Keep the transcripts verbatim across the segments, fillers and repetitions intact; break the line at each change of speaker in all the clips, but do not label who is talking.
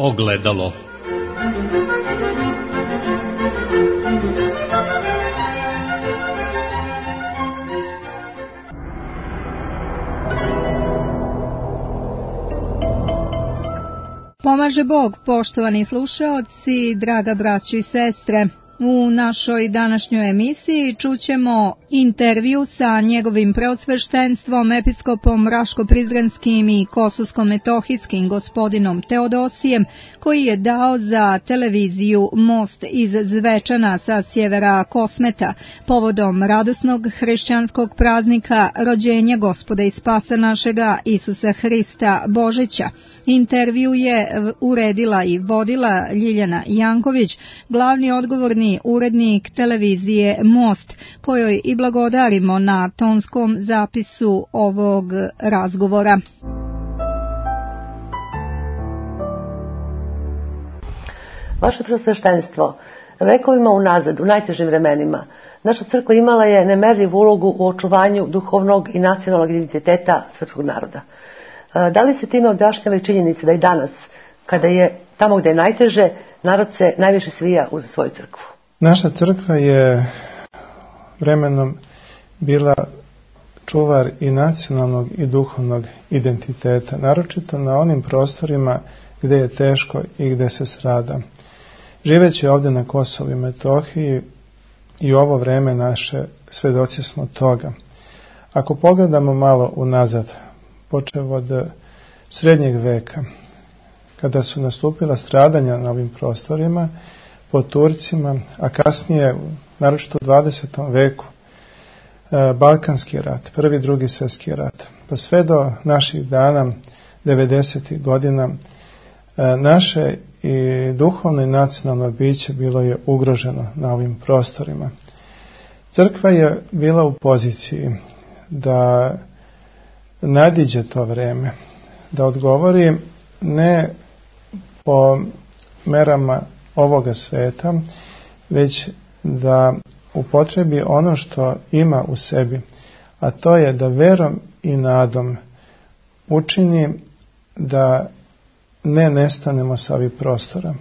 Ogledalo.
Pomaže Bog, poštovani slušaoci, draga braćo i sestre. U našoj današnjoj emisiji čućemo intervju sa njegovim preosveštenstvom, episkopom Raško-Prizrenskim i Kosovsko-Metohijskim gospodinom Teodosijem, koji je dao za televiziju Most iz Zvečana sa sjevera Kosmeta, povodom radosnog hrišćanskog praznika rođenja Gospoda i Spasa našega Isusa Hrista Božića. Intervju je uredila i vodila Ljiljana Janković, glavni odgovorni urednik televizije Most, kojoj i blagodarimo na tonskom zapisu ovog razgovora.
Vaše preosveštenstvo, vekovima unazad, u najtežim vremenima, naša crkva imala je nemerljivu ulogu u očuvanju duhovnog i nacionalnog identiteta srpskog naroda. Da li se time objašnjava i činjenica da i danas, kada je tamo gde je najteže, narod se najviše svija uz svoju crkvu?
Naša crkva je vremenom bila čuvar i nacionalnog i duhovnog identiteta, naročito na onim prostorima gde je teško i gde se strada. Živeći ovdje na Kosovu i Metohiji i u ovo vreme naše svedoci smo toga. Ako pogledamo malo unazad, počev od srednjeg veka, kada su nastupila stradanja na ovim prostorima pod Turcima, a kasnije, naročito u dvadesetom veku, Balkanski rat, prvi, drugi svjetski rat, pa sve do naših dana, devedesetih godina, naše i duhovno i nacionalno biće bilo je ugroženo na ovim prostorima. Crkva je bila u poziciji da nadiđe to vreme, da odgovori ne po merama ovoga sveta, već da upotrebi ono što ima u sebi, a to je da verom i nadom učini da ne nestanemo sa ovih prostora.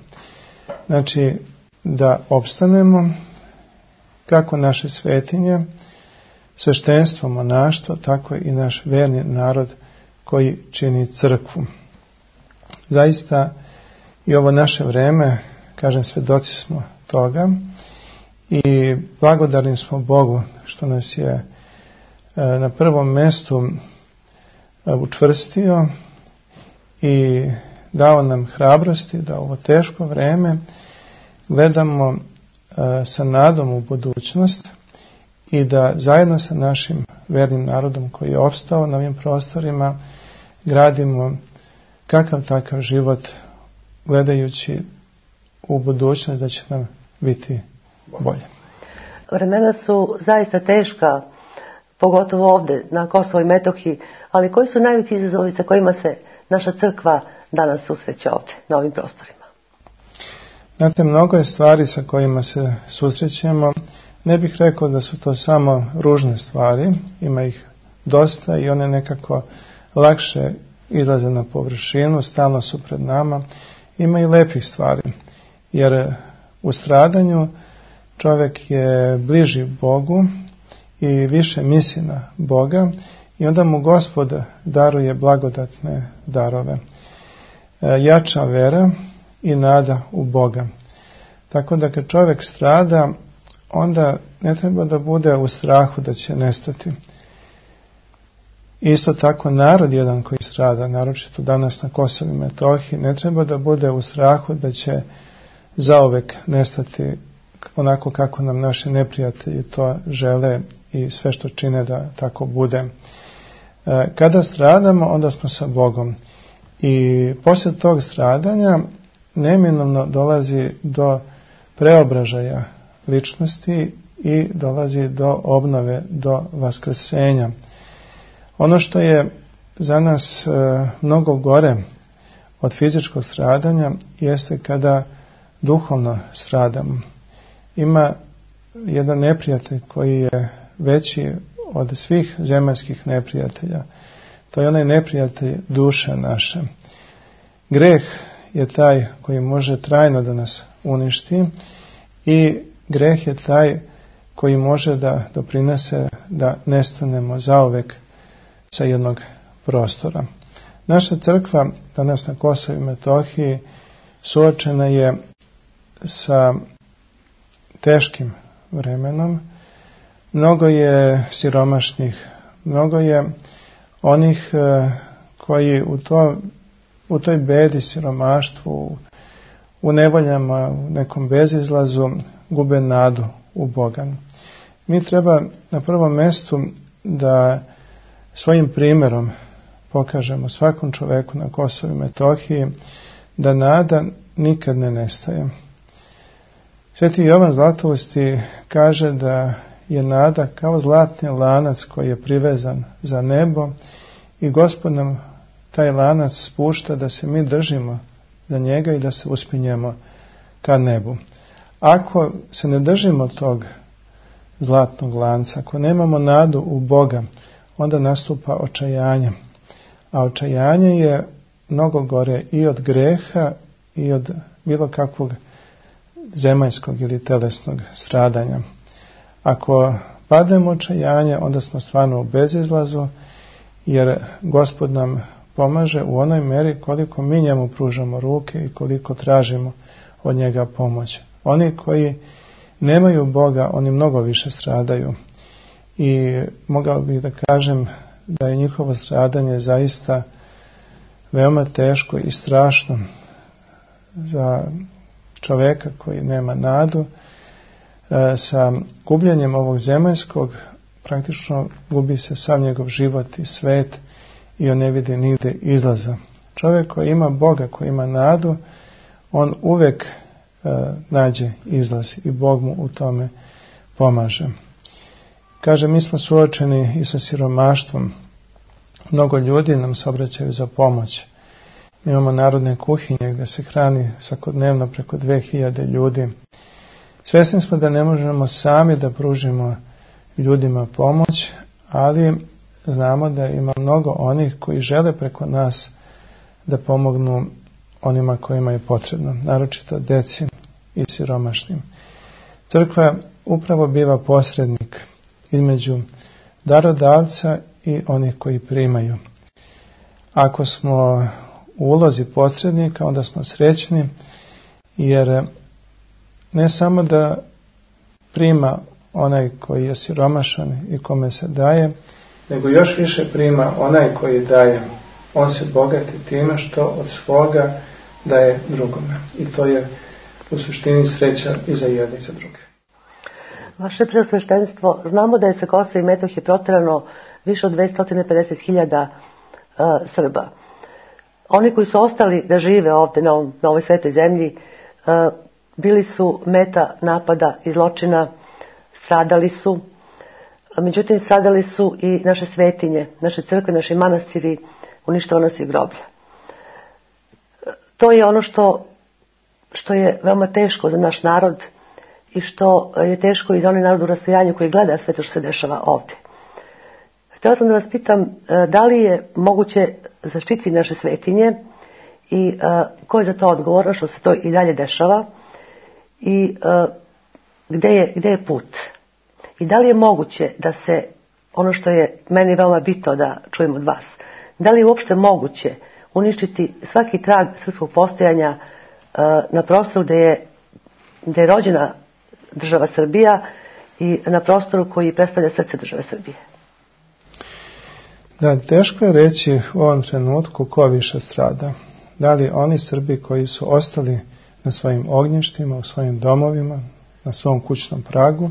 Znači, da opstanemo kako naše svetinje, sveštenstvo, monaštvo, tako i naš verni narod koji čini crkvu. Zaista i ovo naše vreme, kažem, svedoci smo toga i blagodarni smo Bogu što nas je na prvom mjestu učvrstio i dao nam hrabrosti da ovo teško vreme gledamo sa nadom u budućnost i da zajedno sa našim vernim narodom koji je opstao na ovim prostorima gradimo kakav takav život gledajući u budućnost da će nam biti bolje.
Vremena su zaista teška, pogotovo ovdje na Kosovo i Metohiji, ali koji su najveći izazovi sa kojima se naša crkva danas susreće ovdje, na ovim prostorima?
Znate, mnogo je stvari sa kojima se susrećemo. Ne bih rekao da su to samo ružne stvari, ima ih dosta i one nekako lakše izlaze na površinu, stalno su pred nama. Ima i lepih stvari, jer u stradanju čovjek je bliži Bogu i više misli na Boga i onda mu Gospod daruje blagodatne darove. Jača vera i nada u Boga. Tako da kad čovjek strada, onda ne treba da bude u strahu da će nestati. Isto tako narod jedan koji strada, naročito danas na Kosovu i Metohiji, ne treba da bude u strahu da će zauvek nestati onako kako nam naši neprijatelji to žele i sve što čine da tako bude. Kada stradamo, onda smo sa Bogom. I poslije tog stradanja neminovno dolazi do preobražaja ličnosti i dolazi do obnove, do vaskrsenja. Ono što je za nas e, mnogo gore od fizičkog stradanja jeste kada duhovno stradamo. Ima jedan neprijatelj koji je veći od svih zemaljskih neprijatelja. To je onaj neprijatelj duše naše. Greh je taj koji može trajno da nas uništi i greh je taj koji može da doprinese da nestanemo zauvek sa jednog prostora. Naša crkva danas na Kosovu i Metohiji suočena je sa teškim vremenom. Mnogo je siromašnih, mnogo je onih koji u, to, u toj bedi, siromaštvu, u nevoljama, u nekom bezizlazu gube nadu u Boga. Mi treba na prvom mjestu da svojim primjerom pokažemo svakom čoveku na Kosovu i Metohiji da nada nikad ne nestaje. Sveti Jovan Zlatousti kaže da je nada kao zlatni lanac koji je privezan za nebo i Gospod nam taj lanac spušta da se mi držimo za njega i da se uspinjemo ka nebu. Ako se ne držimo tog zlatnog lanca, ako nemamo nadu u Boga, onda nastupa očajanje. A očajanje je mnogo gore i od greha i od bilo kakvog zemaljskog ili telesnog stradanja. Ako padnemo očajanje, onda smo stvarno u bezizlazu, jer Gospod nam pomaže u onoj meri koliko mi njemu pružamo ruke i koliko tražimo od njega pomoć. Oni koji nemaju Boga, oni mnogo više stradaju. I mogao bih da kažem da je njihovo stradanje zaista veoma teško i strašno za čoveka koji nema nadu. E, sa gubljenjem ovog zemaljskog praktično gubi se sav njegov život i svet i on ne vidi nigde izlaza. Čovjek koji ima Boga, koji ima nadu, on uvek e, nađe izlaz i Bog mu u tome pomaže. Kaže, mi smo suočeni i sa siromaštvom. Mnogo ljudi nam se obraćaju za pomoć. Mi imamo narodne kuhinje gdje se hrani svakodnevno preko dve hiljade ljudi. Svjesni smo da ne možemo sami da pružimo ljudima pomoć, ali znamo da ima mnogo onih koji žele preko nas da pomognu onima kojima je potrebno, naročito deci i siromašnim. Crkva upravo biva posrednik između darodavca i onih koji primaju. Ako smo u ulozi posrednika, onda smo srećni, jer ne samo da prima onaj koji je siromašan i kome se daje, nego još više prima onaj koji daje. On se bogati time što od svoga daje drugome. I to je u suštini sreća i za jedne i za druge.
Vaše preosveštenstvo, znamo da je sa Kosova i Metohije proterano više od dvesta pedeset hiljada uh, Srba. Oni koji su ostali da žive ovdje na, ovom, na ovoj svetoj zemlji uh, bili su meta napada i zločina, stradali su, međutim stradali su i naše svetinje, naše crkve, naši manastiri, uništavano su i groblja. To je ono što, što je veoma teško za naš narod i što je teško i za onaj narod u rasejanju koji gleda sve to što se dešava ovdje. Htjela sam da vas pitam da li je moguće zaštititi naše svetinje i uh, ko je za to odgovoran što se to i dalje dešava i uh, gde je, gde je put. I da li je moguće da se, ono što je meni veoma bitno da čujem od vas, da li je uopšte moguće uništiti svaki trag srpskog postojanja uh, na prostoru gde je, gde je rođena država Srbija i na prostoru koji predstavlja srce države Srbije?
Da, teško je reći u ovom trenutku ko više strada. Da li oni Srbi koji su ostali na svojim ognjištima, u svojim domovima, na svom kućnom pragu,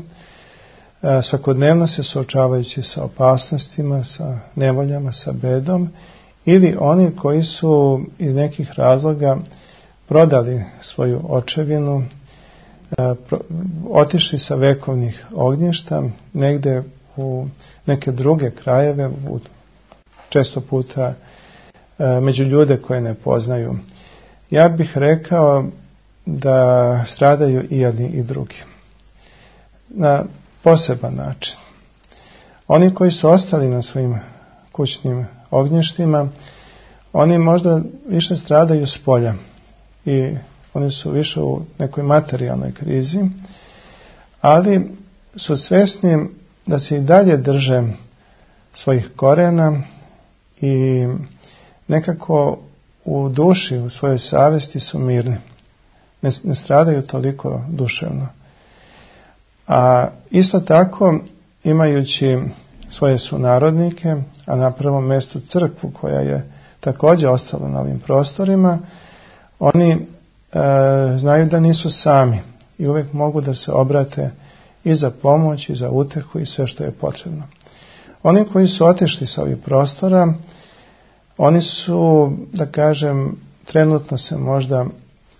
svakodnevno se suočavajući sa opasnostima, sa nevoljama, sa bedom, ili oni koji su iz nekih razloga prodali svoju očevinu, otišli sa vekovnih ognjišta negde u neke druge krajeve, u često puta među ljude koje ne poznaju. Ja bih rekao da stradaju i jedni i drugi. Na poseban način. Oni koji su ostali na svojim kućnim ognjištima, oni možda više stradaju s polja, i oni su više u nekoj materijalnoj krizi, ali su svjesni da se i dalje drže svojih korena i nekako u duši, u svojoj savjesti su mirni. Ne, ne stradaju toliko duševno. A isto tako, imajući svoje sunarodnike, a na prvom mjestu crkvu koja je također ostala na ovim prostorima, oni e, znaju da nisu sami i uvijek mogu da se obrate i za pomoć i za utehu i sve što je potrebno. Oni koji su otišli sa ovih prostora, oni su, da kažem, trenutno se možda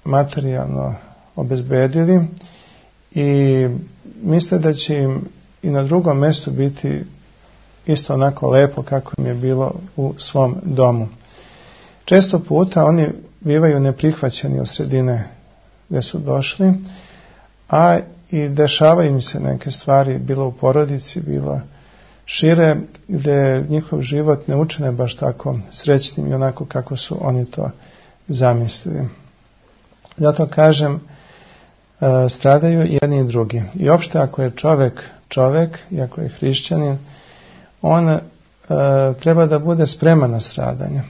materijalno obezbedili i misle da će im i na drugom mjestu biti isto onako lepo kako im je bilo u svom domu. Često puta oni bivaju neprihvaćeni od sredine gdje su došli, a i dešavaju im se neke stvari, bilo u porodici, bilo šire, gdje njihov život ne učine baš tako srećnim i onako kako su oni to zamislili. Zato kažem, stradaju jedni i drugi. I opšte ako je čovjek čovjek, i ako je hrišćanin, on e, treba da bude spreman na stradanje.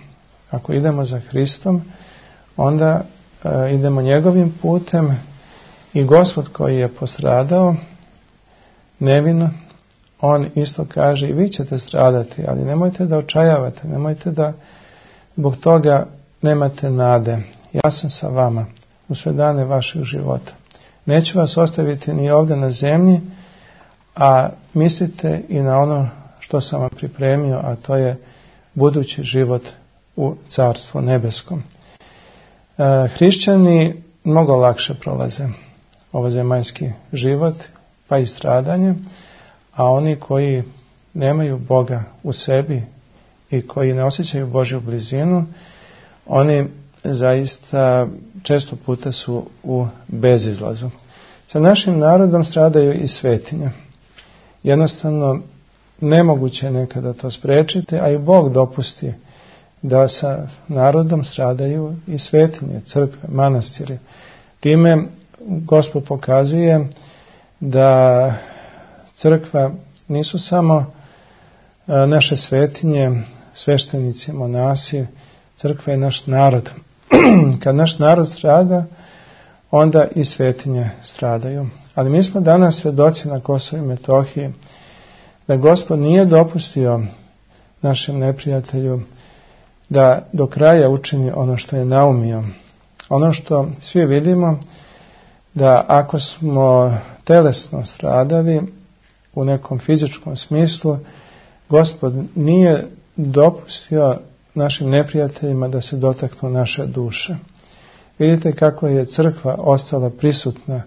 Ako idemo za Hristom, onda e, idemo njegovim putem i Gospod koji je postradao nevino, on isto kaže i vi ćete stradati, ali nemojte da očajavate, nemojte da zbog toga nemate nade. Ja sam sa vama u sve dane vašeg života. Neću vas ostaviti ni ovdje na zemlji, a mislite i na ono što sam vam pripremio, a to je budući život u Carstvu nebeskom. E, hrišćani mnogo lakše prolaze ovozemaljski život, pa i stradanje, a oni koji nemaju Boga u sebi i koji ne osjećaju Božju blizinu, oni zaista često puta su u bezizlazu. Sa našim narodom stradaju i svetinje. Jednostavno, nemoguće je nekada to spriječiti, a i Bog dopusti da sa narodom stradaju i svetinje, crkve, manastiri. Time Gospod pokazuje da crkva nisu samo naše svetinje, sveštenici, monasi, crkva je naš narod. Kad naš narod strada, onda i svetinje stradaju. Ali mi smo danas svjedoci na Kosovu i Metohiji da Gospod nije dopustio našem neprijatelju da do kraja učini ono što je naumio. Ono što svi vidimo, da ako smo telesno stradali u nekom fizičkom smislu, Gospod nije dopustio našim neprijateljima da se dotaknu naše duše. Vidite kako je crkva ostala prisutna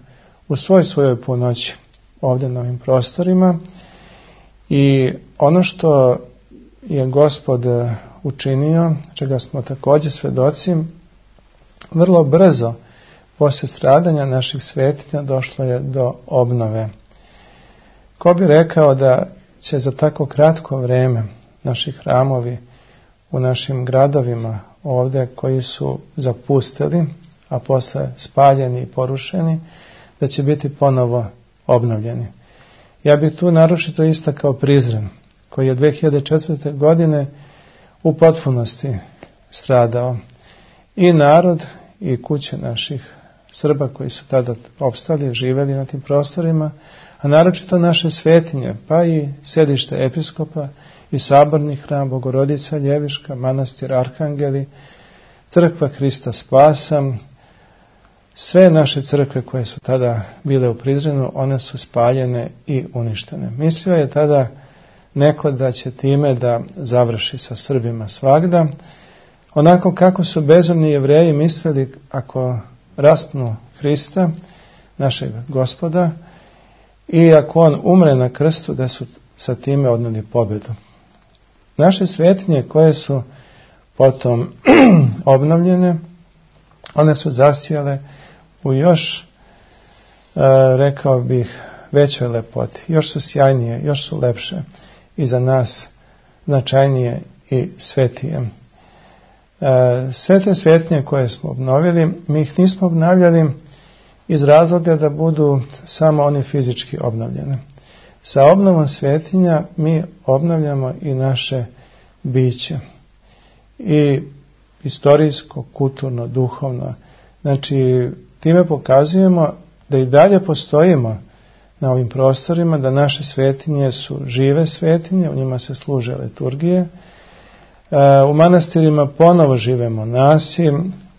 u svoj svojoj punoći ovdje na ovim prostorima i ono što je Gospod učinio, čega smo također svjedoci, vrlo brzo poslije stradanja naših svetinja došlo je do obnove. Ko bi rekao da će za tako kratko vrijeme naši hramovi u našim gradovima ovdje koji su zapustili, a posle spaljeni i porušeni, da će biti ponovo obnovljeni. Ja bih tu naročito istakao Prizren, koji je dve hiljade četvrte. godine u potpunosti stradao. I narod i kuće naših Srba koji su tada opstali, živjeli na tim prostorima, a naročito naše svetinje, pa i sjedište episkopa i saborni hram Bogorodica Ljeviška, manastir Arhangeli, crkva Hrista Spasa, sve naše crkve koje su tada bile u Prizrenu, one su spaljene i uništene. Mislio je tada neko da će time da završi sa Srbima svagda, onako kako su bezumni Jevreji mislili ako raspnu Hrista, našeg Gospoda, i ako on umre na krstu, da su sa time odneli pobjedu. Naše svetinje koje su potom obnovljene, one su zasijale u još, rekao bih, većoj lepoti. Još su sjajnije, još su lepše i za nas značajnije i svetije. Sve te svetinje koje smo obnovili, mi ih nismo obnavljali iz razloga da budu samo oni fizički obnovljene. Sa obnovom svetinja mi obnavljamo i naše biće. I istorijsko, kulturno, duhovno. Znači, time pokazujemo da i dalje postojimo na ovim prostorima, da naše svetinje su žive svetinje, u njima se služe liturgije. U manastirima ponovo žive monasi,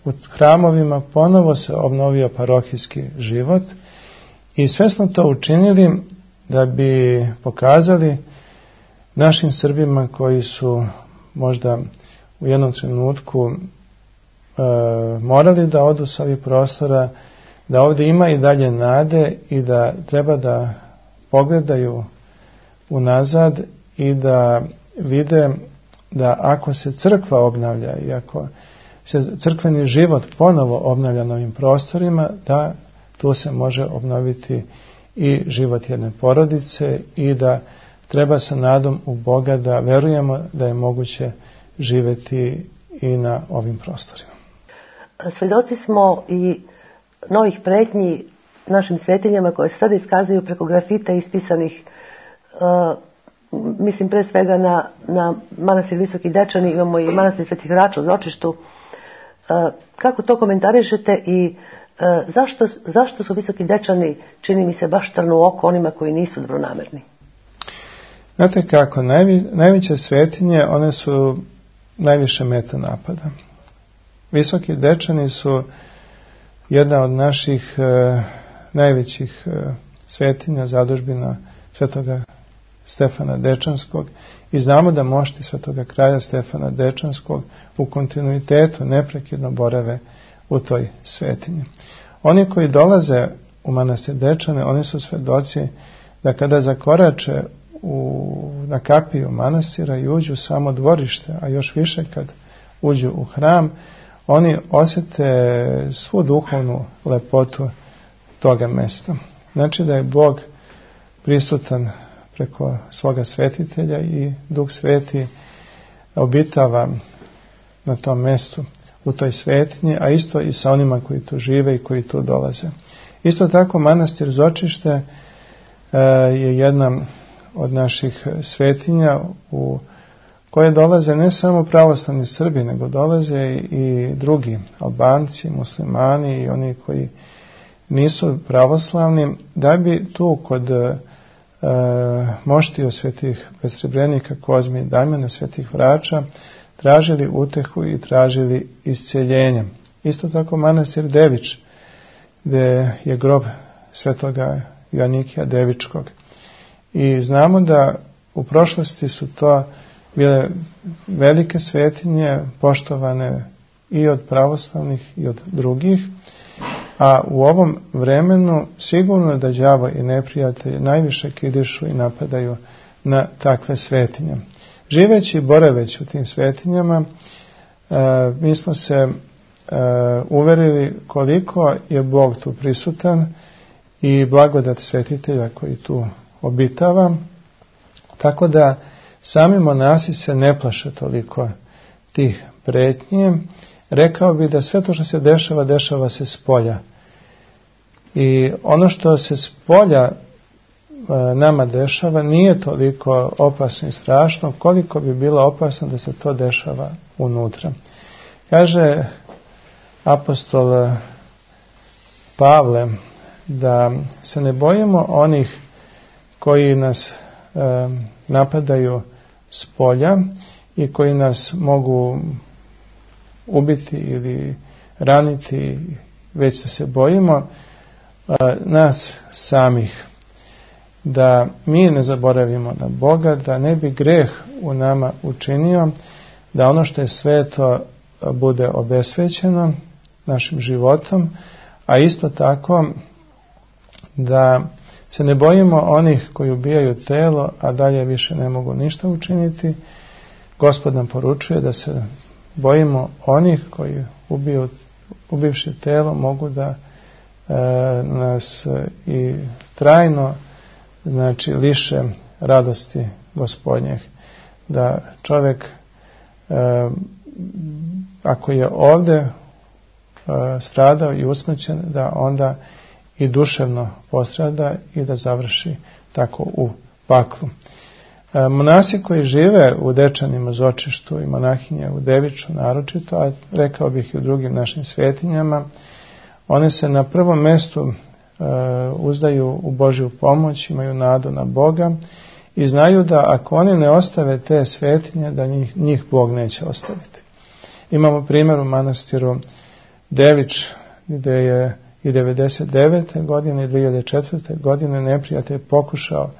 u hramovima ponovo se obnovio parohijski život i sve smo to učinili da bi pokazali našim Srbima koji su možda u jednom trenutku e, morali da odu sa ovih prostora, da ovdje ima i dalje nade i da treba da pogledaju unazad i da vide da ako se crkva obnavlja i ako se crkveni život ponovo obnavlja na ovim prostorima, da tu se može obnoviti i život jedne porodice i da treba sa nadom u Boga da verujemo da je moguće živjeti i na ovim prostorima.
Svedoci smo i novih pretnji našim svetinjama koje se sada iskazuju preko grafita ispisanih, uh, mislim pre svega na, na manastir Visoki Dečani, imamo i manastir Svetih Rača u Zočištu. Uh, kako to komentarišete i uh, zašto, zašto su Visoki Dečani, čini mi se, baš trnu oko onima koji nisu dobronamerni?
Znate kako, najvi, najveće svetinje, one su najviše meta napada. Visoki Dečani su jedna od naših e, najvećih e, svetinja, zadužbina Svetoga Stefana Dečanskog i znamo da mošti Svetoga kralja Stefana Dečanskog u kontinuitetu neprekidno borave u toj svetinji. Oni koji dolaze u manastir Dečane, oni su svedoci da kada zakorače u, na kapiju manastira i uđu samo dvorište, a još više kad uđu u hram, oni osjete svu duhovnu lepotu toga mesta. Znači da je Bog prisutan preko svoga svetitelja i Duh Sveti obitava na tom mestu, u toj svetinji, a isto i sa onima koji tu žive i koji tu dolaze. Isto tako manastir Zočište e, je jedna od naših svetinja u koje dolaze ne samo pravoslavni Srbi, nego dolaze i drugi Albanci, muslimani i oni koji nisu pravoslavni, da bi tu kod e, moštiju svetih besrebrenika Kozme i Damjana, svetih Vrača, tražili utehu i tražili isceljenje. Isto tako manastir Devič, gdje je grob svetoga Joanikija Devičkog. I znamo da u prošlosti su to bile velike svetinje, poštovane i od pravoslavnih i od drugih, a u ovom vremenu sigurno da đavo i neprijatelji najviše kidišu i napadaju na takve svetinje. Živeći i boraveći u tim svetinjama, e, mi smo se e, uverili koliko je Bog tu prisutan i blagodat svetitelja koji tu obitava, tako da sami monasi se ne plaše toliko tih pretnji. Rekao bi da sve to što se dešava, dešava se s polja. I ono što se s polja e, nama dešava nije toliko opasno i strašno koliko bi bilo opasno da se to dešava unutra. Kaže apostol Pavle da se ne bojimo onih koji nas e, napadaju s polja i koji nas mogu ubiti ili raniti, već da se bojimo a, nas samih, da mi ne zaboravimo na Boga, da ne bi greh u nama učinio, da ono što je sveto bude obesvećeno našim životom, a isto tako da se ne bojimo onih koji ubijaju telo, a dalje više ne mogu ništa učiniti. Gospod nam poručuje da se bojimo onih koji ubiju, ubivši telo mogu da e, nas i trajno, znači, liše radosti Gospodnjeg. Da čovjek e, ako je ovde uh, stradao i usmrćen, da onda i duševno postrada i da završi tako u paklu. Uh, monasi koji žive u Dečanima, Zočištu i monahinje u Deviču naročito, a rekao bih i u drugim našim svetinjama, one se na prvom mestu uh, uzdaju u Božju pomoć, imaju nadu na Boga i znaju da ako oni ne ostave te svetinje, da njih, njih Bog neće ostaviti. Imamo primjer u manastiru Devič, gdje je i devedeset devete godine i dve hiljade četvrte godine neprijatelj pokušao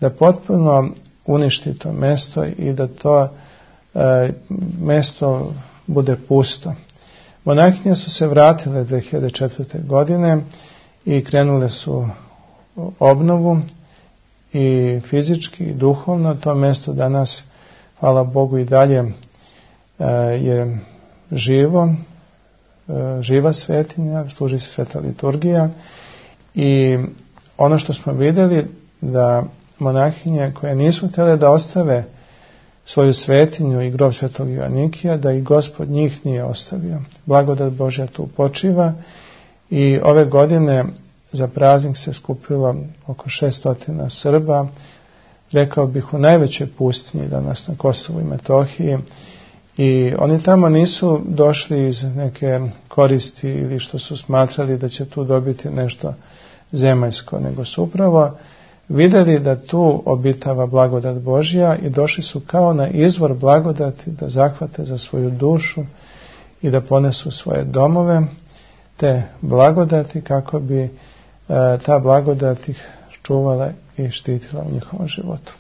da potpuno uništi to mesto i da to e, mesto bude pusto. Monahinje su se vratile dve hiljade četvrte godine i krenule su obnovu i fizički i duhovno. To mesto danas, hvala Bogu, i dalje e, je živo, e, živa svetinja, služi se sveta liturgija i ono što smo vidjeli da monahinje koje nisu htjele da ostave svoju svetinju i grob svetog Joanikija, da i Gospod njih nije ostavio. Blagodat Božja tu počiva i ove godine za praznik se skupilo oko šeststotina Srba, rekao bih u najvećoj pustinji danas na Kosovu i Metohiji, i oni tamo nisu došli iz neke koristi ili što su smatrali da će tu dobiti nešto zemaljsko, nego su upravo vidjeli da tu obitava blagodat Božja i došli su kao na izvor blagodati da zahvate za svoju dušu i da ponesu svoje domove te blagodati kako bi e, ta blagodat ih čuvala i štitila u njihovom životu.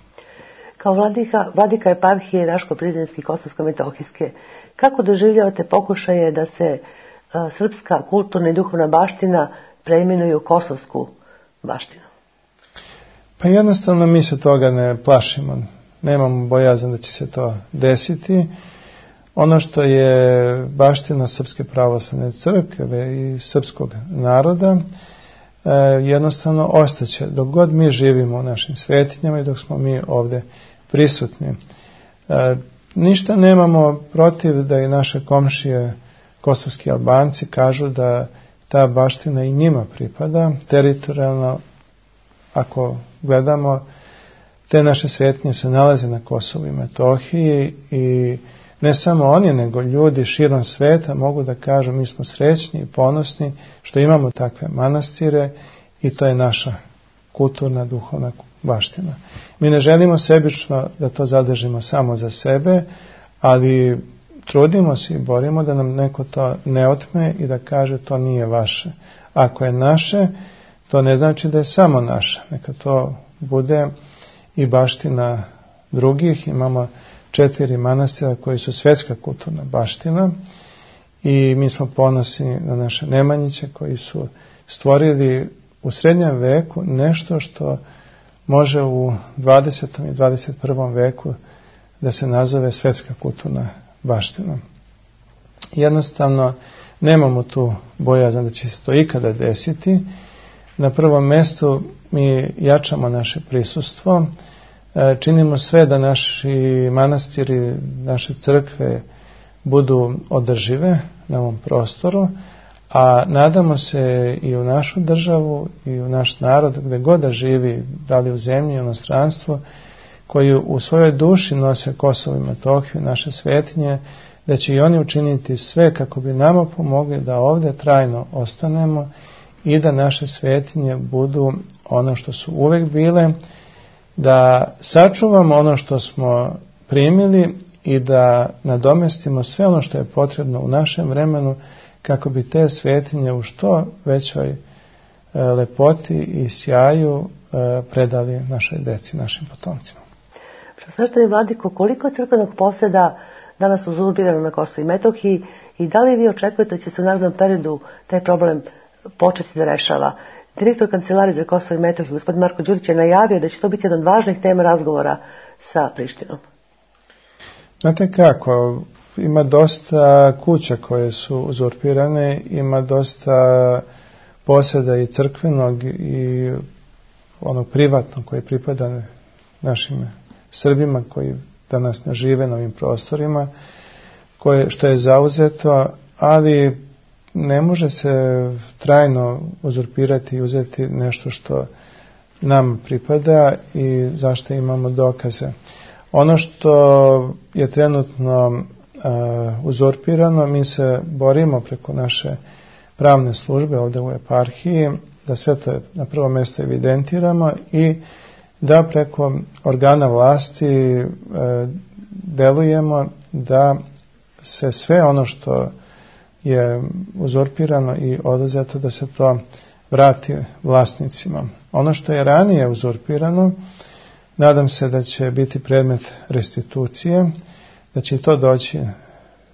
Kao vladika, vladika eparhije Raško-Prizrenske i Kosovsko-Metohijske, kako doživljavate pokušaje da se a, srpska kulturna i duhovna baština preimenuje u kosovsku baštinu?
Pa jednostavno mi se toga ne plašimo. Nemamo bojazan da će se to desiti. Ono što je baština Srpske pravoslavne crkve i srpskog naroda e, jednostavno ostaće dok god mi živimo u našim svetinjama i dok smo mi ovdje prisutni. E, ništa nemamo protiv da i naše komšije kosovski Albanci kažu da ta baština i njima pripada teritorijalno. Ako gledamo, te naše svetinje se nalaze na Kosovu i Metohiji i ne samo oni, nego ljudi širom sveta mogu da kažu mi smo srećni i ponosni što imamo takve manastire i to je naša kulturna, duhovna baština. Mi ne želimo sebično da to zadržimo samo za sebe, ali trudimo se i borimo da nam neko to ne otme i da kaže to nije vaše. Ako je naše, to ne znači da je samo naša. Neka to bude i baština drugih. Imamo četiri manastira koji su svetska kulturna baština i mi smo ponosni na naše Nemanjiće koji su stvorili u srednjem veku nešto što može u dvadesetom i dvadeset prvom veku da se nazove svetska kulturna baština. Jednostavno nemamo tu bojazan da će se to ikada desiti. Na prvom mjestu mi jačamo naše prisustvo, činimo sve da naši manastiri, naše crkve budu održive na ovom prostoru, a nadamo se i u našu državu i u naš narod, gdje god da živi, da li u zemlji, u inostranstvu, koji u svojoj duši nose Kosovo i Metohiju, naše svetinje, da će i oni učiniti sve kako bi nama pomogli da ovdje trajno ostanemo i da naše svetinje budu ono što su uvijek bile, da sačuvamo ono što smo primili i da nadomestimo sve ono što je potrebno u našem vremenu kako bi te svetinje u što većoj e, lepoti i sjaju e, predali našoj deci, našim potomcima.
Svešteni vladiko, koliko je crkvenog posjeda danas uzurpirano na Kosovu i Metohiji i da li vi očekujete da će se u narednom periodu taj problem početi da rešava? Direktor Kancelarije za Kosovo i Metohiju, gospodin Marko Đurić, je najavio da će to biti jedan od važnih tema razgovora sa Prištinom.
Znate kako, ima dosta kuća koje su uzurpirane, ima dosta posjeda i crkvenog i onog privatnog koji pripada našim Srbima koji danas ne žive na ovim prostorima. koje, što je zauzeto, ali ne može se trajno uzurpirati i uzeti nešto što nam pripada i zašto imamo dokaze. Ono što je trenutno uh, uzurpirano, mi se borimo preko naše pravne službe ovdje u eparhiji, da sve to na prvo mjesto evidentiramo i da preko organa vlasti e, delujemo da se sve ono što je uzurpirano i oduzeto, da se to vrati vlasnicima. Ono što je ranije uzurpirano, nadam se da će biti predmet restitucije, da će to doći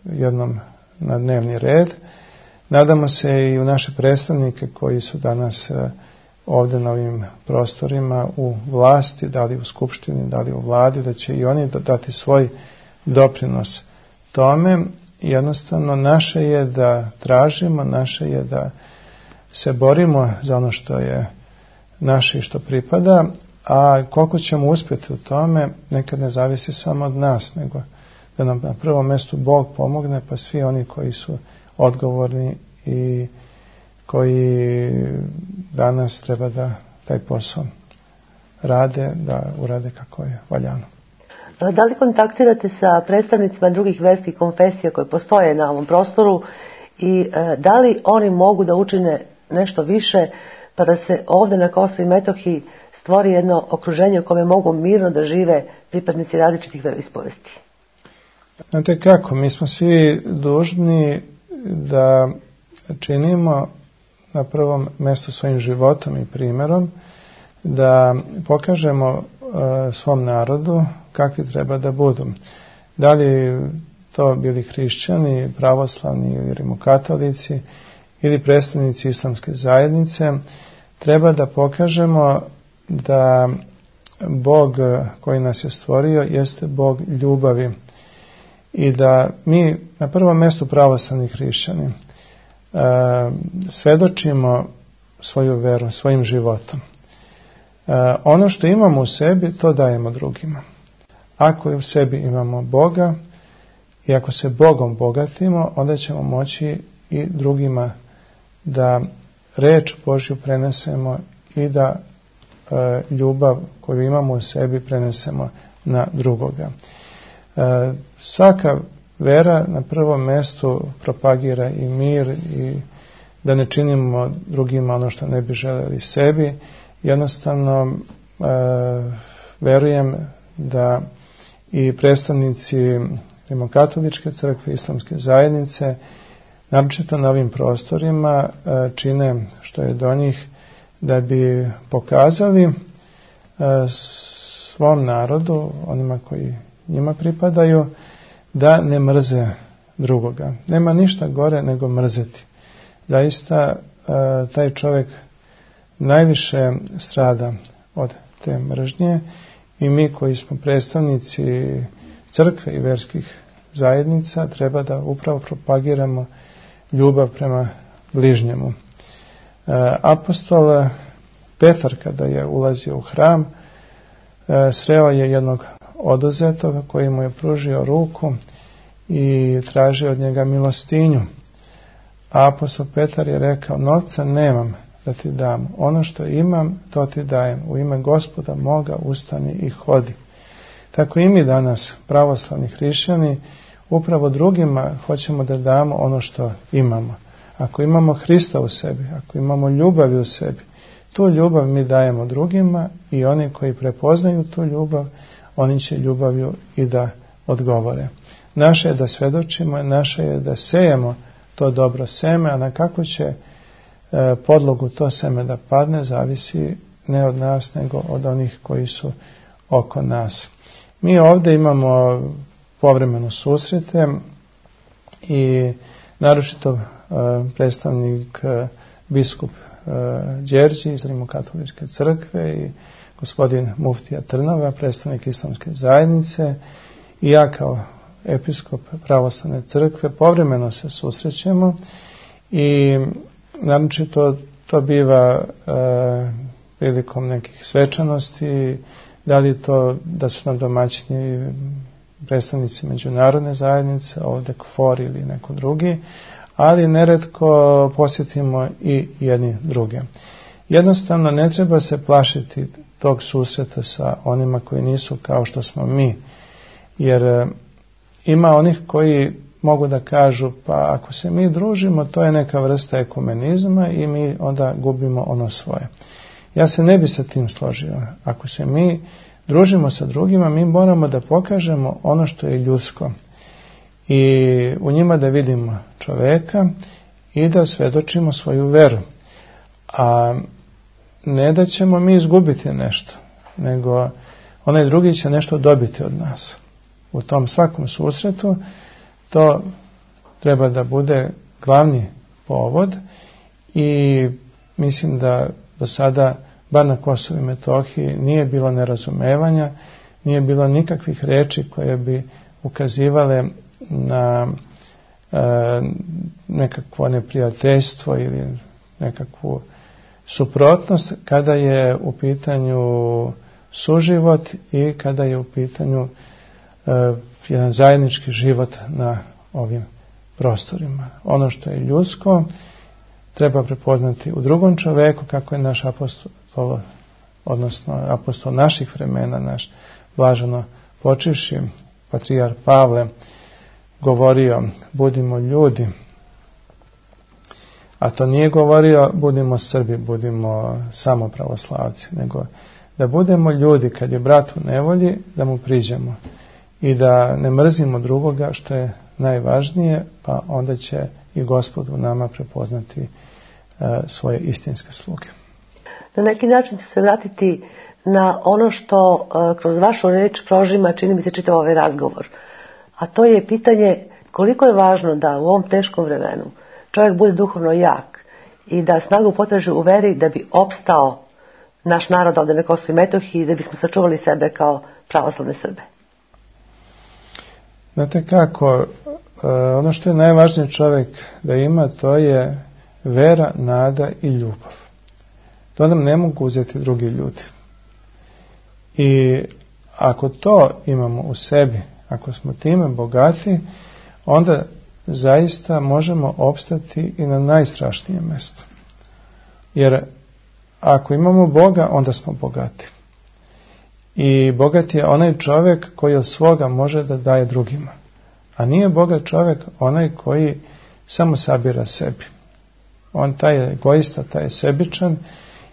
jednom na dnevni red. Nadamo se i u naše predstavnike koji su danas ovdje na ovim prostorima u vlasti, da li u skupštini, da li u vladi, da će i oni dati svoj doprinos tome. Jednostavno naše je da tražimo, naše je da se borimo za ono što je naše i što pripada, a koliko ćemo uspjeti u tome nekad ne zavisi samo od nas, nego da nam na prvom mjestu Bog pomogne, pa svi oni koji su odgovorni i koji danas treba da taj posao rade, da urade kako je valjano.
Da li kontaktirate sa predstavnicima drugih verskih konfesija koje postoje na ovom prostoru i da li oni mogu da učine nešto više pa da se ovdje na Kosovu i Metohiji stvori jedno okruženje u kome mogu mirno da žive pripadnici različitih veroispovesti?
Znate kako, mi smo svi dužni da činimo na prvom mjestu svojim životom i primjerom, da pokažemo uh, svom narodu kakvi treba da budu. Da li to bili hrišćani, pravoslavni ili rimokatolici ili predstavnici islamske zajednice, treba da pokažemo da Bog koji nas je stvorio jeste Bog ljubavi i da mi na prvom mjestu pravoslavni hrišćani uh, svedočimo svoju veru svojim životom. Uh, ono što imamo u sebi, to dajemo drugima. Ako u sebi imamo Boga i ako se Bogom bogatimo, onda ćemo moći i drugima da reč Božju prenesemo i da uh, ljubav koju imamo u sebi prenesemo na drugoga. Uh, svaka vera na prvom mjestu propagira i mir i da ne činimo drugima ono što ne bi željeli sebi. Jednostavno e, verujem da i predstavnici rimokatoličke crkve, islamske zajednice, naročito na ovim prostorima, e, čine što je do njih da bi pokazali e, svom narodu, onima koji njima pripadaju, da ne mrze drugoga. Nema ništa gore nego mrzeti. Zaista e, taj čovjek najviše strada od te mržnje i mi koji smo predstavnici crkve i verskih zajednica treba da upravo propagiramo ljubav prema bližnjemu. E, apostol Petar kada je ulazio u hram e, sreo je jednog oduzetoga koji mu je pružio ruku i tražio od njega milostinju. A apostol Petar je rekao, novca nemam da ti dam, ono što imam to ti dajem, u ime Gospoda moga ustani i hodi. Tako i mi danas, pravoslavni hrišćani, upravo drugima hoćemo da damo ono što imamo. Ako imamo Hrista u sebi, ako imamo ljubav u sebi, tu ljubav mi dajemo drugima i oni koji prepoznaju tu ljubav, oni će ljubavlju i da odgovore. Naše je da svedočimo, naše je da sejemo to dobro seme, a na kako će e, podlogu to seme da padne, zavisi ne od nas, nego od onih koji su oko nas. Mi ovdje imamo povremeno susrete i naročito e, predstavnik e, biskup e, Đerđi iz Rimokatoličke crkve i gospodin Muftija Trnava, predstavnik islamske zajednice i ja kao episkop pravoslavne crkve povremeno se susrećemo i naročito to biva e, prilikom nekih svečanosti, da li to da su nam domaćini predstavnici međunarodne zajednice, ovdje KFOR ili neko drugi, ali neretko posjetimo i jedni druge. Jednostavno ne treba se plašiti tog susreta sa onima koji nisu kao što smo mi, jer ima onih koji mogu da kažu pa ako se mi družimo to je neka vrsta ekumenizma i mi onda gubimo ono svoje. Ja se ne bi sa tim složio. Ako se mi družimo sa drugima, mi moramo da pokažemo ono što je ljudsko i u njima da vidimo čoveka i da svedočimo svoju veru. A ne da ćemo mi izgubiti nešto, nego onaj drugi će nešto dobiti od nas. U tom svakom susretu to treba da bude glavni povod i mislim da do sada, bar na Kosovu i Metohiji, nije bilo nerazumevanja, nije bilo nikakvih reči koje bi ukazivale na e, nekakvo neprijateljstvo ili nekakvu suprotnost kada je u pitanju suživot i kada je u pitanju e, jedan zajednički život na ovim prostorima. Ono što je ljudsko treba prepoznati u drugom čoveku, kako je naš apostol, odnosno apostol naših vremena, naš blaženo počivši patrijar Pavle govorio budimo ljudi, a to nije govorio budimo Srbi, budimo samo pravoslavci, nego da budemo ljudi kad je brat u nevolji, da mu priđemo i da ne mrzimo drugoga što je najvažnije, pa onda će i Gospod u nama prepoznati e, svoje istinske sluge.
Na neki način ću se vratiti na ono što e, kroz vašu reč prožima, čini mi se, čitav ovaj razgovor. A to je pitanje koliko je važno da u ovom teškom vremenu čovjek bude duhovno jak i da snagu potraži u veri da bi opstao naš narod ovdje na Kosovu i Metohiji i da bismo sačuvali sebe kao pravoslavne Srbe.
Znate kako, ono što je najvažnije čovjek da ima, to je vera, nada i ljubav. To nam ne mogu uzeti drugi ljudi. I ako to imamo u sebi, ako smo time bogati, onda zaista možemo opstati i na najstrašnijem mjestu. Jer ako imamo Boga, onda smo bogati. I bogat je onaj čovjek koji od svoga može da daje drugima. A nije bogat čovjek onaj koji samo sabira sebi. On taj je egoista, taj je sebičan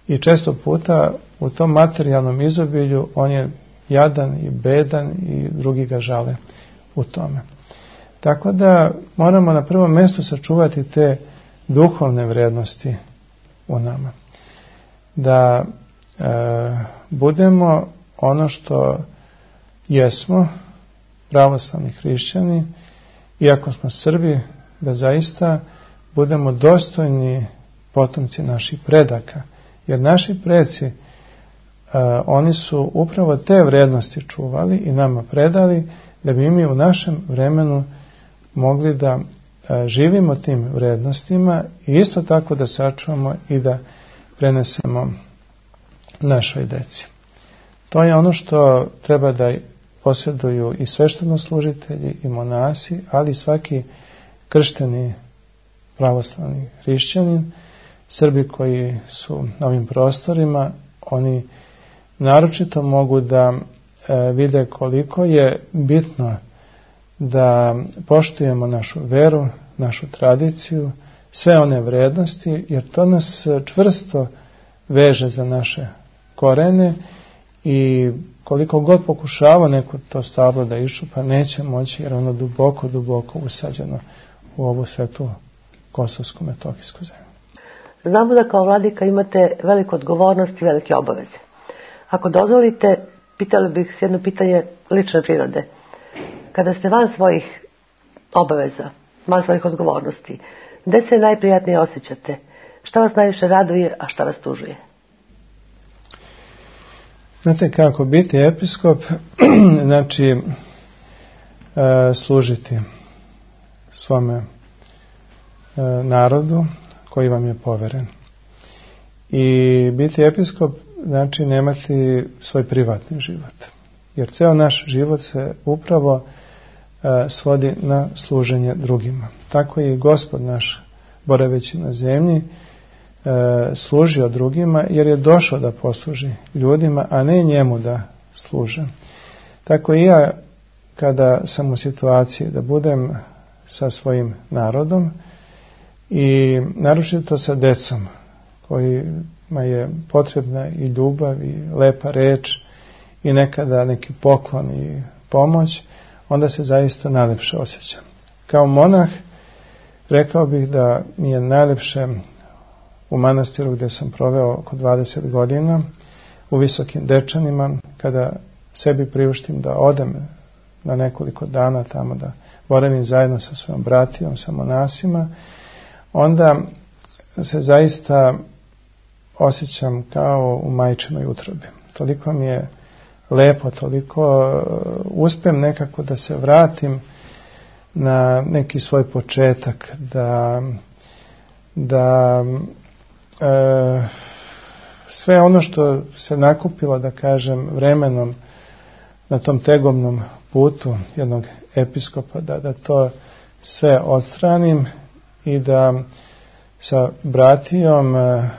i često puta u tom materijalnom izobilju on je jadan i bedan i drugi ga žale u tome. Tako da moramo na prvom mjestu sačuvati te duhovne vrijednosti u nama. Da e, budemo ono što jesmo, pravoslavni hrišćani, iako smo Srbi, da zaista budemo dostojni potomci naših predaka. Jer naši preci, e, oni su upravo te vrijednosti čuvali i nama predali, da bi mi u našem vremenu mogli da e, živimo tim vrijednostima i isto tako da sačuvamo i da prenesemo našoj deci. To je ono što treba da posjeduju i sveštenoslужitelji i monasi, ali svaki kršteni pravoslavni hrišćanin, Srbi koji su na ovim prostorima, oni naročito mogu da e, vide koliko je bitno da poštujemo našu veru, našu tradiciju, sve one vrednosti, jer to nas čvrsto veže za naše korene i koliko god pokušava neko to stablo da iščupa, neće moći jer ono duboko, duboko usađeno u ovu svetu kosovsko-metohijsku zemlju.
Znamo da kao vladika imate veliku odgovornost i velike obaveze. Ako dozvolite, pitala bih s jedno pitanje lične prirode. Kada ste van svojih obaveza, van svojih odgovornosti, gde se najprijatnije osjećate? Šta vas najviše raduje, a šta vas tužuje?
Znate kako, biti episkop znači e, služiti svome e, narodu koji vam je poveren. I biti episkop znači nemati svoj privatni život. jer ceo naš život se upravo e, svodi na služenje drugima. Tako je i Gospod naš, boraveći na zemlji, e, služio drugima, jer je došao da posluži ljudima, a ne njemu da služe. Tako i ja, kada sam u situaciji da budem sa svojim narodom i naročito sa decom kojima je potrebna i ljubav i lepa reč i nekada neki poklon i pomoć, onda se zaista najlepše osjećam. Kao monah rekao bih da mi je najlepše u manastiru gdje sam proveo oko dvadeset godina, u Visokim Dečanima, kada sebi priuštim da odem na nekoliko dana tamo da boravim zajedno sa svojom bratijom, sa monasima, onda se zaista osjećam kao u majčinoj utrobi. Toliko mi je lepo, toliko uspem nekako da se vratim na neki svoj početak, da, da e, sve ono što se nakupilo, da kažem, vremenom na tom tegobnom putu jednog episkopa, da, da to sve odstranim i da sa bratijom e,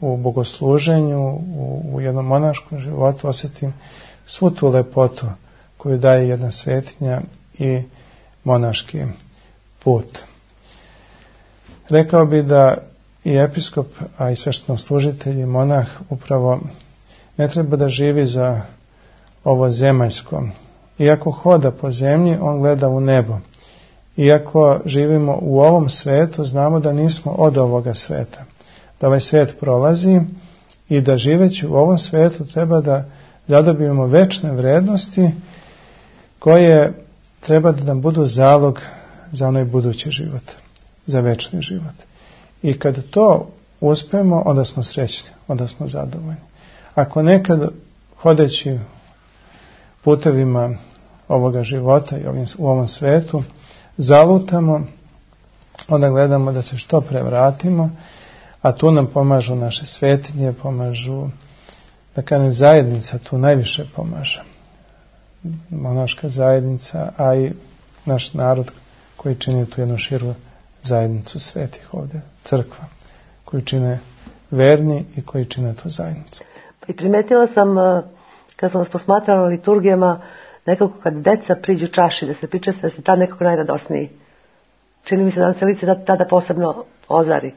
u bogosluženju, u, u jednom monaškom životu osjetim svu tu lepotu koju daje jedna svetinja i monaški put. Rekao bi da i episkop, a i sveštenoslужitelj i monah upravo ne treba da živi za ovo zemaljsko. Iako hoda po zemlji, on gleda u nebo. Iako živimo u ovom svetu, znamo da nismo od ovoga sveta. Da ovaj svet prolazi i da živeći u ovom svetu treba da zadobijemo večne vrednosti koje treba da nam budu zalog za onaj budući život, za večni život. I kad to uspemo, onda smo srećni, onda smo zadovoljni. Ako nekad hodeći putevima ovoga života i ovim, u ovom svetu zalutamo, onda gledamo da se što pre vratimo, a tu nam pomažu naše svetinje, pomažu, da kažem, zajednica tu najviše pomaže. Monaška zajednica, a i naš narod koji čini tu jednu širu zajednicu svetih ovdje, crkva, koji čine verni i koji čine tu zajednicu.
I primetila sam, kad sam vas posmatrala na liturgijama, nekako kad deca priđu čaši, da se priča da se tad nekako najradosniji. Čini mi se da vam se lice tada posebno ozari.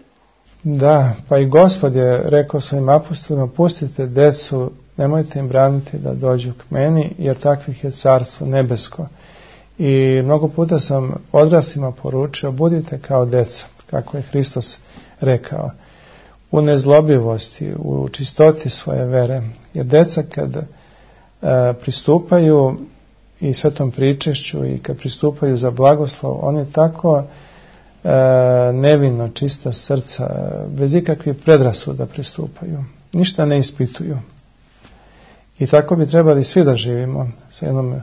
Da, pa i Gospod je rekao svojim apostolima, pustite decu, nemojte im braniti da dođu k meni, jer takvih je carstvo nebesko. I mnogo puta sam odraslima poručio, budite kao deca, kako je Hristos rekao, u nezlobivosti, u čistoti svoje vere. Jer deca kad e, pristupaju i svetom pričešću i kad pristupaju za blagoslov, oni tako e, nevino, čista srca, bez ikakvih predrasuda pristupaju. Ništa ne ispituju. I tako bi trebali svi da živimo, sa jednom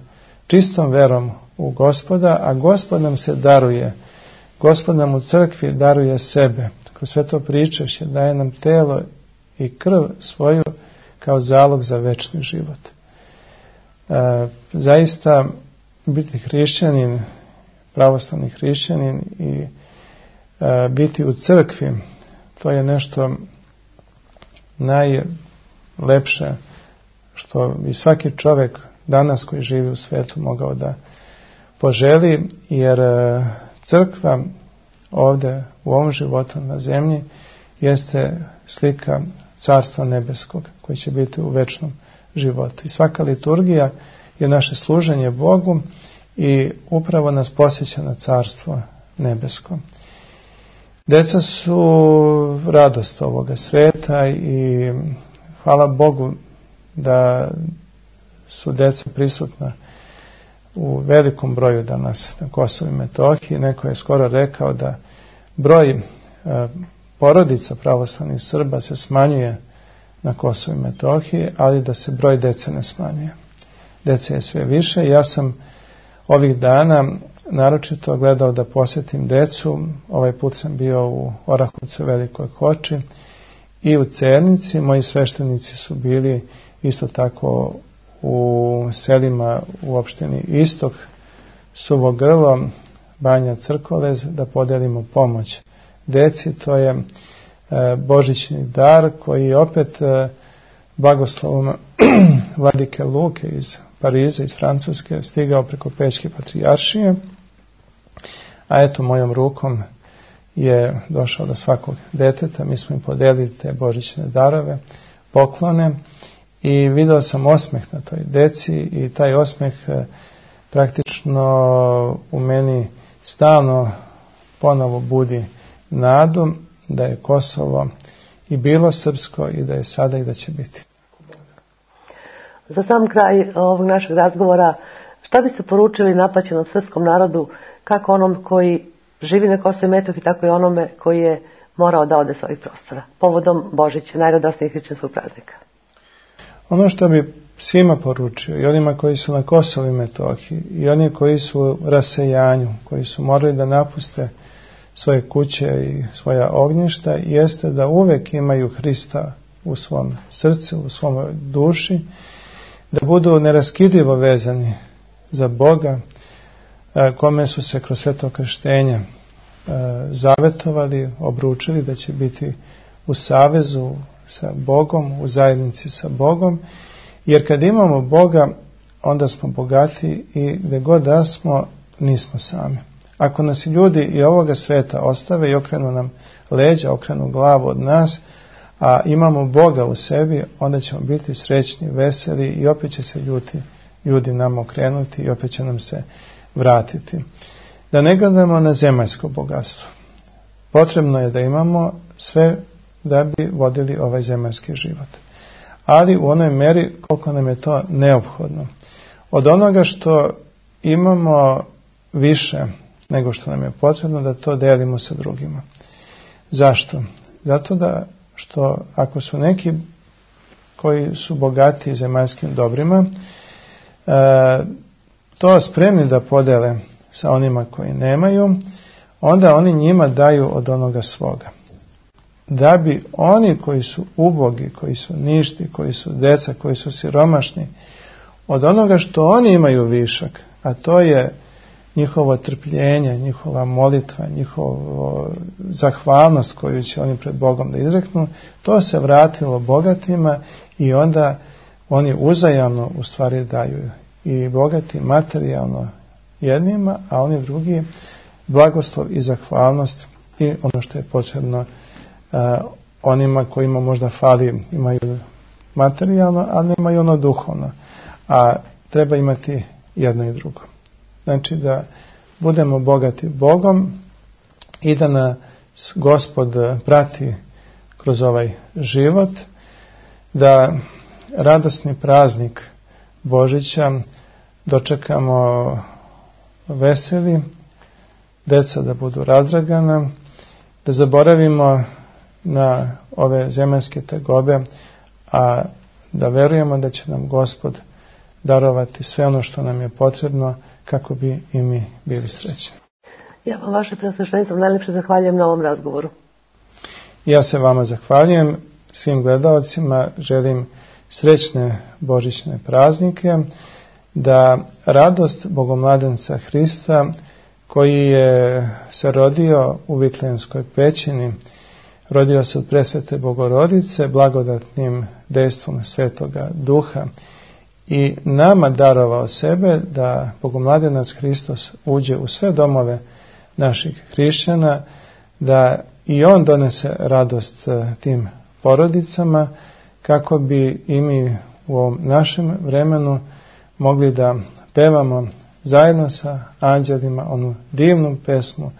čistom verom u Gospoda, a Gospod nam se daruje. Gospod nam u crkvi daruje sebe. Kroz sveto pričešće daje nam telo i krv svoju kao zalog za večni život. E, zaista biti hrišćanin, pravoslavni hrišćanin i e, biti u crkvi, to je nešto najlepše što bi svaki čovjek danas koji živi u svijetu mogao da poželi, jer crkva ovdje u ovom životu na zemlji jeste slika Carstva nebeskog koji će biti u večnom životu. I svaka liturgija je naše služenje Bogu i upravo nas posjeća na Carstvo nebesko. Deca su radost ovoga sveta i hvala Bogu da su deca prisutna u velikom broju danas na Kosovu i Metohiji. Neko je skoro rekao da broj e, porodica pravoslavnih Srba se smanjuje na Kosovu i Metohiji, ali da se broj dece ne smanjuje. Dece je sve više. Ja sam ovih dana naročito gledao da posjetim decu. Ovaj put sam bio u Orahovcu, Velikoj Hoči i u Cernici. Moji sveštenici su bili isto tako u selima u opštini Istok, Suvo Grlo, Banja Crkolez, da podelimo pomoć deci. To je e, božićni dar koji je opet e, blagoslovom vladike Luke iz Pariza, iz Francuske, stigao preko Pećke patrijaršije, a eto mojom rukom je došao do svakog deteta. Mi smo im podelili te božićne darove, poklone, i video sam osmeh na toj deci i taj osmeh e, praktično u meni stalno ponovo budi nadu da je Kosovo i bilo srpsko i da je sada i da će biti.
Za sam kraj ovog našeg razgovora, šta biste poručili napaćenom srpskom narodu, kako onom koji živi na Kosovu i Metohiji, tako i onome koji je morao da ode s ovih prostora, povodom Božića, najradosnijeg hrišćanskog praznika?
Ono što bi svima poručio, i onima koji su na Kosovu i Metohiji, i oni koji su u rasejanju, koji su morali da napuste svoje kuće i svoja ognjišta, jeste da uvek imaju Hrista u svom srcu, u svom duši, da budu neraskidivo vezani za Boga, kome su se kroz sveto krštenje zavetovali, obručili da će biti u savezu sa Bogom, u zajednici sa Bogom, jer kad imamo Boga, onda smo bogati i gde god da smo, nismo sami. Ako nas ljudi i ovoga sveta ostave i okrenu nam leđa, okrenu glavu od nas, a imamo Boga u sebi, onda ćemo biti srećni, veseli i opet će se ljudi, ljudi nam okrenuti i opet će nam se vratiti. Da ne gledamo na zemaljsko bogatstvo. Potrebno je da imamo sve da bi vodili ovaj zemaljski život. Ali u onoj meri koliko nam je to neophodno. Od onoga što imamo više nego što nam je potrebno, da to delimo sa drugima. Zašto? Zato da što ako su neki koji su bogati zemaljskim dobrima, e, to spremni da podele sa onima koji nemaju, onda oni njima daju od onoga svoga. Da bi oni koji su ubogi, koji su ništi, koji su deca, koji su siromašni, od onoga što oni imaju višak, a to je njihovo trpljenje, njihova molitva, njihova zahvalnost koju će oni pred Bogom da izreknu, to se vratilo bogatima i onda oni uzajamno u stvari daju. I bogati materijalno jednima, a oni drugi blagoslov i zahvalnost i ono što je potrebno uh, onima kojima možda fali, imaju materijalno, ali nemaju ono duhovno. A treba imati jedno i drugo. Znači da budemo bogati Bogom i da nas Gospod prati kroz ovaj život, da radosni praznik Božića dočekamo veseli, deca da budu razdragana, da zaboravimo na ove zemaljske tegobe, a da verujemo da će nam Gospod darovati sve ono što nam je potrebno kako bi i mi bili srećni.
Ja vam, vaše preosveštenstvo, najlepše zahvaljujem na ovom razgovoru.
Ja se vama zahvaljujem, svim gledalcima želim srećne božićne praznike, da radost Bogomladenca Hrista, koji je se rodio u Vitlejenskoj pećini, rodio se od presvete Bogorodice, blagodatnim dejstvom Svetoga Duha, i nama darovao sebe da Bogomladenac Hristos uđe u sve domove naših hrišćana, da i on donese radost tim porodicama, kako bi i mi u ovom našem vremenu mogli da pevamo zajedno sa anđelima onu divnu pesmu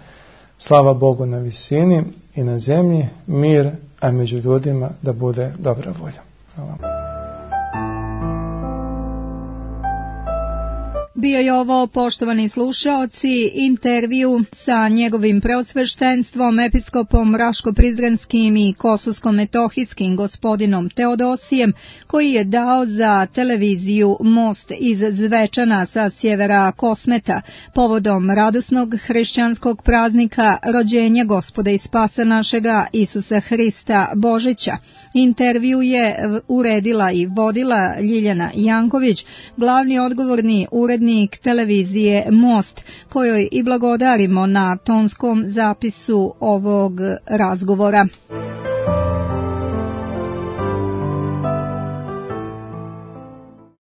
Slava Bogu na visini i na zemlji mir, a među ljudima da bude dobra volja. Hvala.
Bio je ovo, poštovani slušaoci, intervju sa njegovim preosveštenstvom, episkopom Raško-Prizrenskim i Kosovsko-Metohijskim gospodinom Teodosijem, koji je dao za televiziju Most iz Zvečana sa sjevera Kosmeta povodom radosnog hrišćanskog praznika rođenja Gospoda i Spasa našega Isusa Hrista Božića. Intervju je uredila i vodila Ljiljana Janković, glavni odgovorni urednik televizije Most, kojoj i blagodarimo na tonskom zapisu ovog razgovora.